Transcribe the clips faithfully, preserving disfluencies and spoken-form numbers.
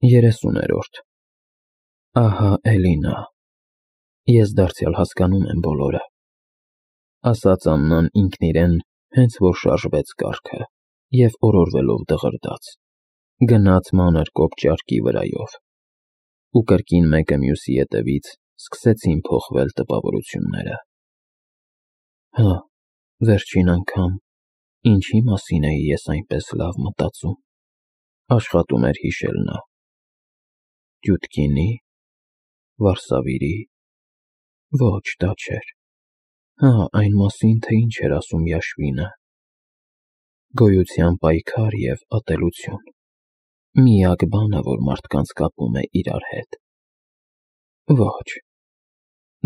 երեսուներորդ Ահա էլի նա։ Ես դարձյալ հասկանում եմ բոլորը, ասաց Աննան ինքն իրեն, հենց որ շարժվեց կառքը, և օրորվելով դղրդաց, գնաց մանր կոպճարկի վրայով, ու կրկին մեկը մյուսի ետևից սկսեցին փոխվել տպավորությունները։ Հա, վերջին անգամ ինչի մասին էի ես այնպես լավ մտածում, աշխատում էր հիշել նա. Դյուդկինի՞, Վարսավիրի՞, ոչ, դա չէր, հա, այն մասին, թե ինչ էր ասում Յաշվինը. գոյության պայքար և ատելություն, միակ բանը, որ մարդկանց կապում է իրար հետ։ Ոչ,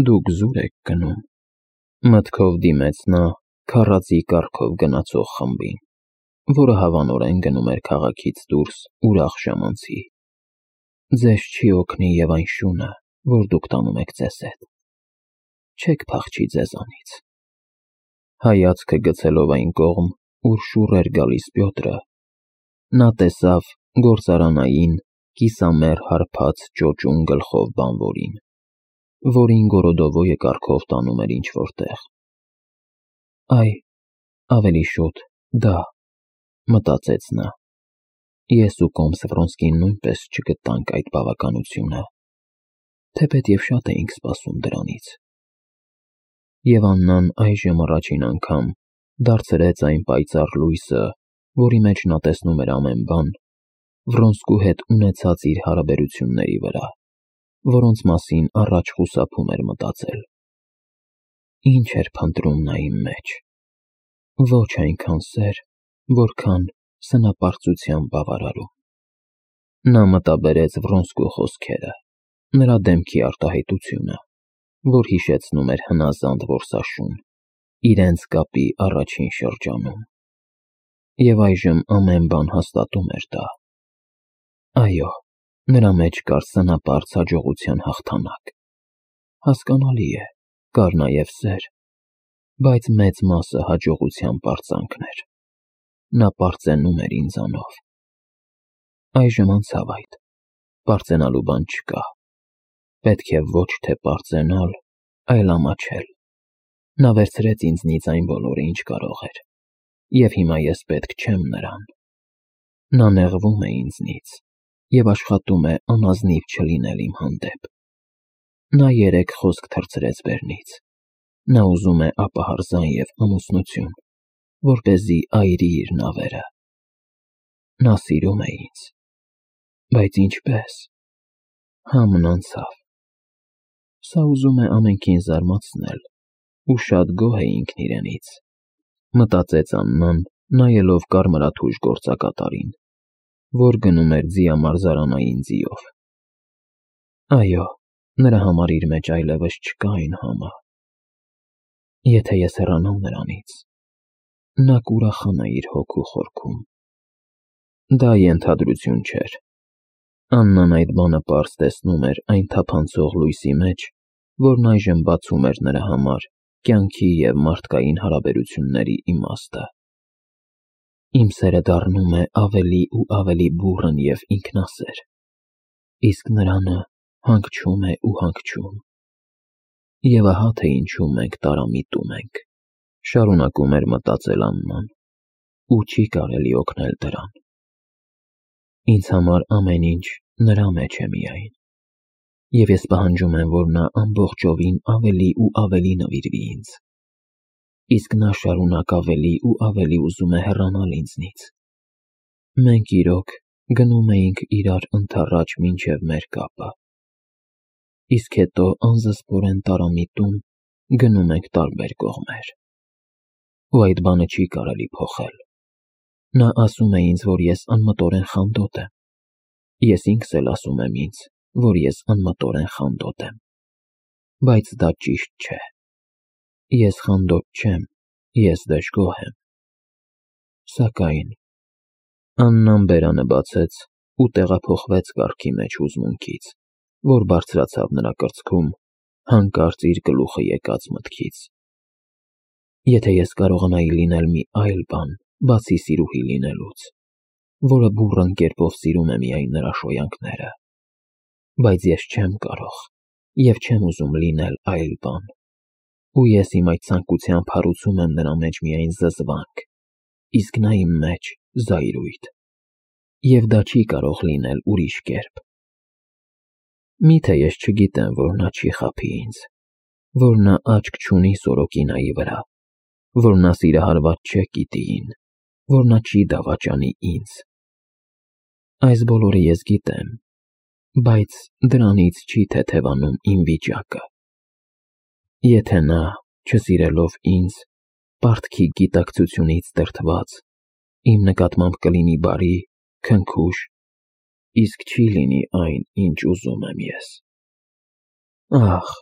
դուք զուր եք գնում, մտքով դիմեց նա քառածի կառքով գնացող խմբին, որը հավանորեն գնում էր քաղաքից դուրս ուրախ ժամանցի։ Ձեզ չի օգնի և այն շունը, որ դուք տանում եք ձեզ հետ, չեք փախչի ձեզանից։ Հայացքը գցելով այն կողմ, ուր շուռ էր գալիս Պյոտրը, նա տեսավ գործարանային կիսամեռ հարբած ճոճուն գլխով բանվորին, որին Գորոդովոյը կառքով տանում էր ինչ-որ տեղ։ Այ, ավելի շուտ, դա, մտածեց նա, ես ու Կոմս Վրոնսկին նույնպես չգտանք այդ բավականությունը, թեպետև շատ էինք սպասում դրանից։ Եվ Աննան այժմ առաջին անգամ դարձրեց այն պայծառ լույսը, որի մեջ նա տեսնում էր ամեն բան, Վրոնսկու հետ ունեցած իր հարաբերությունների վրա, որոնց մասին առաջ խուսափում էր մտածել։ Ինչ էր փնտրում նա իմ մեջ։ Ոչ այնքան սեր, որքան սնապարծության բավարարում։ Նա մտաբերեց Վրոնսկու խոսքերը, նրա դեմքի արտահայտությունը, որ հիշեցնում էր հնազանդ որսաշուն, իրենց կապի առաջին շրջանում։ Եվ այժմ ամեն բան հաստատում էր դա։ Այո, նրա մեջ կար սնապարծ հաջողության հաղթանակ։ Հասկանալի է, կար նաև սեր, բայց մեծ մասը հաջողության պարծանքն էր։ Նա պարծենում էր ինձանով։ Այժմ անցավ այդ, պարծենալու բան չկա։ Պետք է ոչ թե պարծենալ, այլ ամաչել։ Նա վերցրեց ինձնից այն բոլորը, ինչ կարող էր, և հիմա ես պետք չեմ նրան։ Նա նեղվում է ինձնից և աշխատում է անազնիվ չլինել իմ հանդեպ։ Նա երեկ խոսք թռցրեց բերնից։ Նա ուզում է ապահարզան և ամուսնություն, որպեսզի այրի իր նավերը։ Նա սիրում է ինձ, բայց ինչպե՞ս։ Համն անցավ։ Սա ուզում է ամենքին զարմացնել ու շատ գոհ է ինքն իրենից, մտածեց Աննան, նայելով կարմրաթույժ գործակատարին, որ գնում էր ձիամարզարանային ձիով։ Այո, նրա համար իր մեջ այլևս չկա այն համը։ Եթե ես հեռանամ նրանից, նա կուրախանա իր հոգու խորքում։ Դա ենթադրություն չէր։ Աննան այդ բանը պարզ տեսնում էր այն թափանցող լույսի մեջ, որն այժմ բացում էր նրա համար կյանքի և մարդկային հարաբերությունների իմաստը։ Իմ սերը դառնում է ավելի ու ավելի բուռն և ինքնասեր, իսկ նրանը հանգչում է ու հանգչում։ Եվ ահա թե ինչու մենք տարամիտում ենք, շարունակում էր մտածել Աննան, ու չի կարելի օգնել դրան։ Ինձ համար ամեն ինչ նրա մեջ է միայն, և ես պահանջում եմ, որ նա ամբողջովին ավելի ու ավելի նվիրվի ինձ, իսկ նա շարունակ ավելի ու ավելի ուզում է հեռանալ ինձնից։ Մենք իրոք գնում էինք իրար ընդառաջ մինչև մեր կապը, իսկ հետո անզսպորեն տարամիտում գնում ենք տարբեր կողմեր։ Ու այդ բանը չի կարելի փոխել։ Նա ասում է ինձ, որ ես անմտորեն խանդոտ եմ։ Ես ինքս էլ ասում եմ ինձ, որ ես անմտորեն խանդոտ եմ։ Բայց դա ճիշտ չէ։ Ես խանդոտ չեմ, ես դժգոհ եմ։ Սակայն… Աննան բերանը բացեց ու տեղափոխվեց կառքի մեջ հուզմունքից, որ բարձրացավ նրա կրծքում, հանկարծ իր գլուխը եկած մտքից։ Եթե ես կարողանայի լինել մի այլ բան, բացի սիրուհի լինելուց, որը բուռն կերպով սիրում է միայն նրա շոյանքները։ Բայց ես չեմ կարող և չեմ ուզում լինել այլ բան, ու ես իմ այդ ցանկությամբ հարուցում եմ նրա մեջ միայն զզվանք, իսկ նա իմ մեջ զայրույթ, և դա չի կարող լինել ուրիշ կերպ։ Միթե ես չգիտեմ, որ նա չի խաբի ինձ, որ նա աչք չունի Սորոկինայի վրա, որ նա սիրահարված չէ Կիտիին, որ նա չի դավաճանի ինձ։ Այս բոլորը ես գիտեմ, բայց դրանից չի թեթևանում իմ վիճակը։ Եթե նա, չսիրելով ինձ, պարտքի գիտակցությունից դրդված, իմ նկատմամբ կլինի բարի, քնքուշ, իսկ չի լինի այն, ինչ ուզում եմ ես։ Ախ,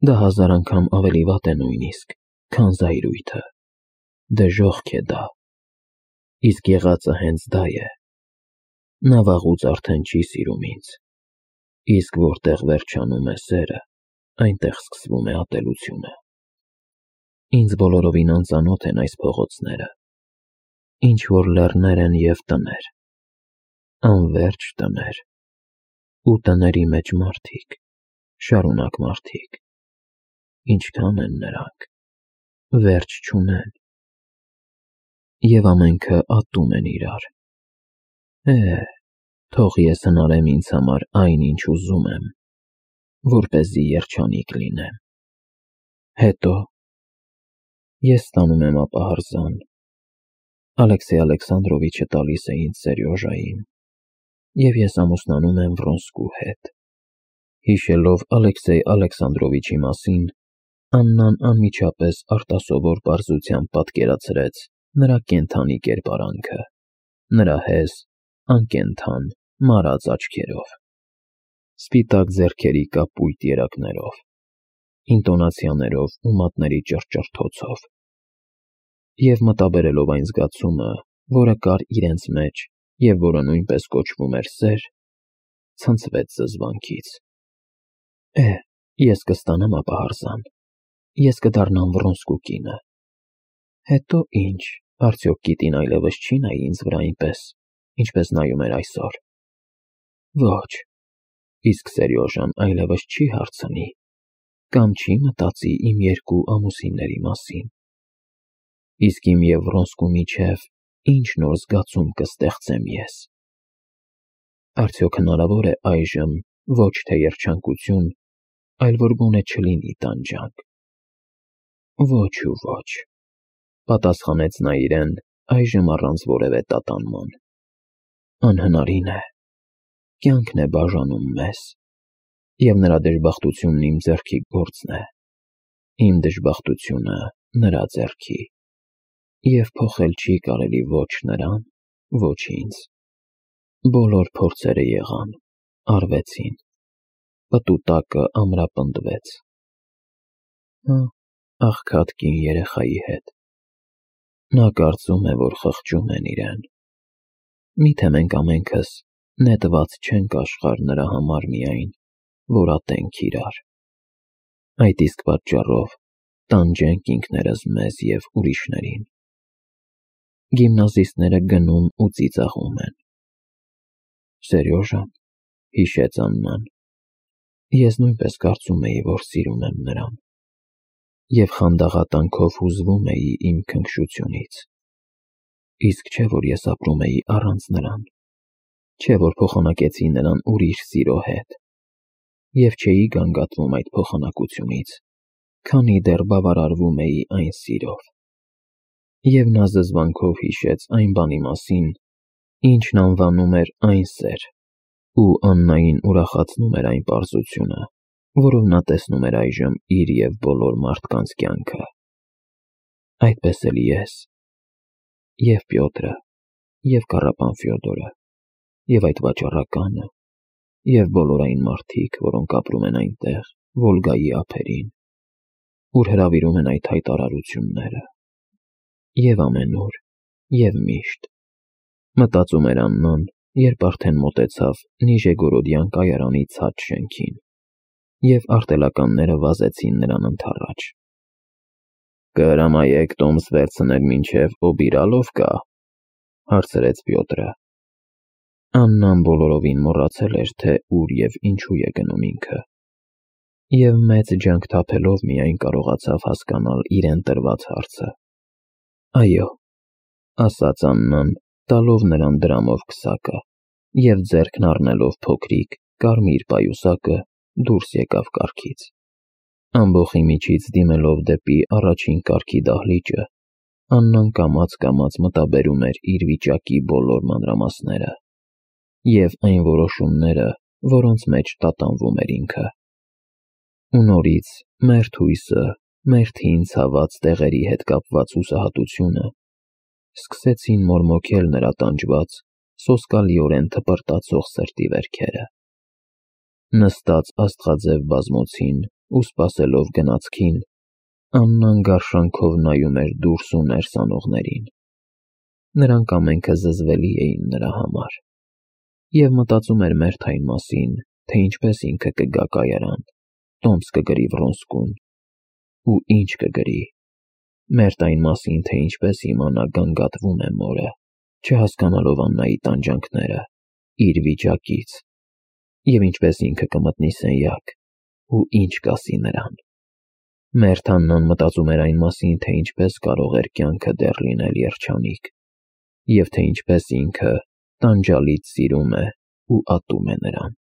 դա հազար անգամ ավելի վատ է նույնիսկ, քան զայրույթը, դժոխք է դա, իսկ եղածը հենց դա է։ Նա վաղուց արդեն չի սիրում ինձ, իսկ որտեղ վերջանում է սերը, այնտեղ սկսվում է ատելությունը։ Ինձ բոլորովին անծանոթ են այս փողոցները, ինչ-որ լեռներ են և տներ, անվերջ տներ, ու տների մեջ մարդիկ, շարունակ մարդիկ, ինչքան են նրանք, վերջ չունեն, և ամենքը ատում են իրար։ Է, թող ես հնարեմ ինձ համար այն, ինչ ուզում եմ, որպեսզի երջանիկ լինեմ։ Հետո ես ստանում եմ ապահարզան, Ալեքսեյ Ալեքսանդրովիչը տալիս է ինձ Սերյոժային, և ես ամուսնանում եմ Վրոնսկու հետ։ Հիշելով Ալեքսեյ Ալեքսանդրովիչի մասին, Աննան անմիջապես արտասովոր պարզությամբ պատկերացրեց նրա կենդանի կերպարանքը, նրա հեզ, անկենդան, մարած աչքերով, սպիտակ ձեռքերի կապույտ երակներով, ինտոնացիաներով ու մատների ճռճռթոցով, և մտաբերելով այն զգացումը, որը կար իրենց մեջ և որը նույնպես կոչվում էր սեր, ցնցվեց զզվանքից։ Է, ես կստանամ ապահարզան, ես կդառնամ Վրոնսկու կինը։ Հետո ինչ, արդյոք Կիտին այլևս չի նայի ինձ վրա այնպես, ինչպես նայում էր այսօր։ Ոչ, իսկ Սերյոժան այլևս չի հարցնի, կամ չի մտածի իմ երկու ամուսինների մասին։ Իսկ իմ և Վրոնսկու միջև ինչ նոր զգացում կստեղծեմ ես։ Արդյոք հնարավոր է այժմ ոչ թե երջանկություն, այլ որ գոնե չլինի տանջանք։ Ոչ ու ոչ, պատասխանեց նա իրեն այժմ առանց որևէ տատանման։ Անհնարին է, կյանքն է բաժանում մեզ, և նրա դժբախտությունն իմ ձեռքի գործն է, իմ դժբախտությունը նրա ձեռքի, և փոխել չի կարելի ոչ նրան, ոչ ինձ։ Բոլոր փորձերը եղան, արվեցին, պտուտակը ամրապնդվեց։ Հա, աղքատ կին երեխայի հետ։ Նա կարծում է, որ խղճում են իրեն։ Միթե մենք ամենքս նետված չենք աշխարհ նրա համար միայն, որ ատենք իրար։ Այդ իսկ պատճառով տանջենք ինքներս մեզ և ուրիշներին։ Գիմնազիստները գնում ու ծիծաղում են։ Սերյոժան, հիշեց Աննան, ես նույնպես կարծում էի, որ սիրում եմ նրան, և խանդաղատանքով հուզվում էի իմ քնքշությունից։ Իսկ չէ, որ ես ապրում էի առանց նրան, չէ, որ փոխանակեցի նրան ուրիշ սիրո հետ, և չէի գանգատվում այդ փոխանակությունից, քանի դեռ բավարարվում էի այն սիրով։ Եվ նա զզվանքով հիշեց այն բանի մասին, ինչն անվանում էր այն սեր, ու Աննային ուրախացնում էր այն պարզությունը, որով նա տեսնում էր այժմ իր և բոլոր մարդկանց կյանքը։ Այդպես էլ ես, և Պյոտրը, և Կառապան Ֆյոդորը, և այդ վաճառականը, և բոլոր այն մարդիկ, որոնք ապրում են այնտեղ, Վոլգայի ափերին, ուր հրավիրում են այդ հայտարարությունները, և ամենուր, և միշտ, մտածում էր Աննան, երբ արդեն մոտեցավ Նիժեգորոդյան կայարանի ցած շենքին, և արտելականները վազեցին նրան ընդառաջ։ Կհրամայեք տոմս վերցնել մինչև Օբիրալովկա, հարցրեց Պյոտրը, Աննան բոլորովին մոռացել էր, թե ուր և ինչու է գնում ինքը, և մեծ ջանք թափելով միայն կարողացավ հասկանալ իրեն տրված հարցը։ «Այո», ասաց Աննան, տալով նրան դրամով քսակը, և ձեռքն առնելով փոքրիկ, կարմիր պայուսակը, դուրս եկավ կառքից։ Ամբոխի միջից դիմելով դեպի առաջին կառքի դահլիճը, Աննան կամաց-կամաց մտաբերում էր իր վիճակի բոլոր մանրամասները և այն որոշումները, որոնց մեջ տատանվում էր ինքը։ Ու նորից մերթ հույսը, մերթին ցաված տեղերի հետ կապված հուսահատությունը սկսեցին մորմոքել նրա տանջված, սոսկալիորեն թպրտացող սրտի վերքերը։ Նստած աստղաձև բազմոցին ու սպասելով գնացքին, Աննան գարշանքով նայում էր դուրս ու ներս անողներին։ Նրանք ամենքը զզվելի էին նրա համար, և մտածում էր մերթ այն մասին, թե ինչպես ինքը կգա կայարան, տոմս կգրի Վռոնսկուն, ու ինչ կգրի, մերթ այն մասին, թե ինչպես իմանա գանգատվում է մորը, չհասկանալով Աննայի տանջանքները, իր վիճակից, և ինչպես ինքը կմտնի սենյակ ու ինչ կասի նրան։ Մերթ Աննան մտածում էր այն մասին, թե ինչպես կարող էր կյանքը դեռ լինել երջանիկ, և թե ինչպես ինքը տանջալից սիրում է ու ատում է նրան,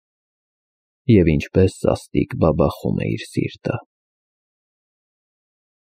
և ինչպես սաստիկ բաբախում է իր սիրտը։